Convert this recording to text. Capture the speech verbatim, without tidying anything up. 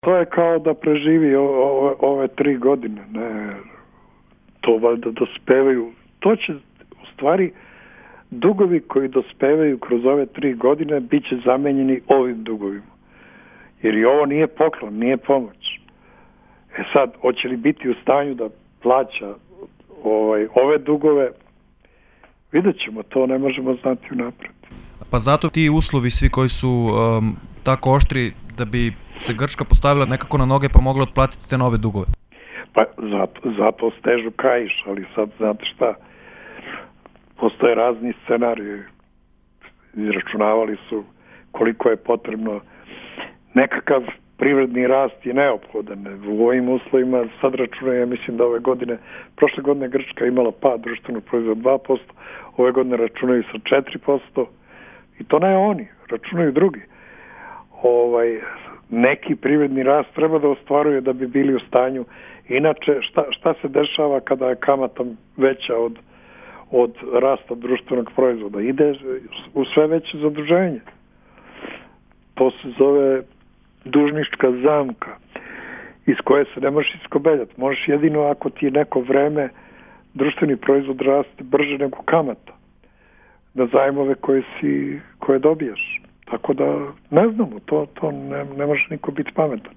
To je kao da preživi o, o, ove tri godine, ne, to valjda dospevaju, to će u stvari dugovi koji dospevaju kroz ove tri godine bit će zamenjeni ovim dugovima, jer i ovo nije poklon, nije pomoć. E sad, hoće li biti u stanju da plaća ovaj, ove dugove, vidjet ćemo, to ne možemo znati unapred. Pa zato ti uslovi svi koji su um, tako oštri da bi se Grčka postavila nekako na noge pa mogla otplatiti te nove dugove? Pa zato, zato stežu kaiš, ali sad znate šta, postoje razni scenariji, izračunavali su koliko je potrebno, nekakav privredni rast je neophodan u ovim uslovima, sad računaju, ja mislim da ove godine, prošle godine Grčka imala pad društvenog proizvoda dva posto, ove godine računaju sa četiri posto i to ne oni, računaju drugi. Ovaj, neki privredni rast treba da ostvaruje da bi bili u stanju. Inače, šta, šta se dešava kada je kamata veća od, od rasta društvenog proizvoda? Ide u sve veće zaduženje. To se zove dužnička zamka iz koje se ne možeš iskobeljati. Možeš jedino ako ti je neko vreme društveni proizvod raste brže nego kamata na zajmove koje, si, koje dobijaš. Tako da ne znamo, to, to ne, ne može niko biti pametan.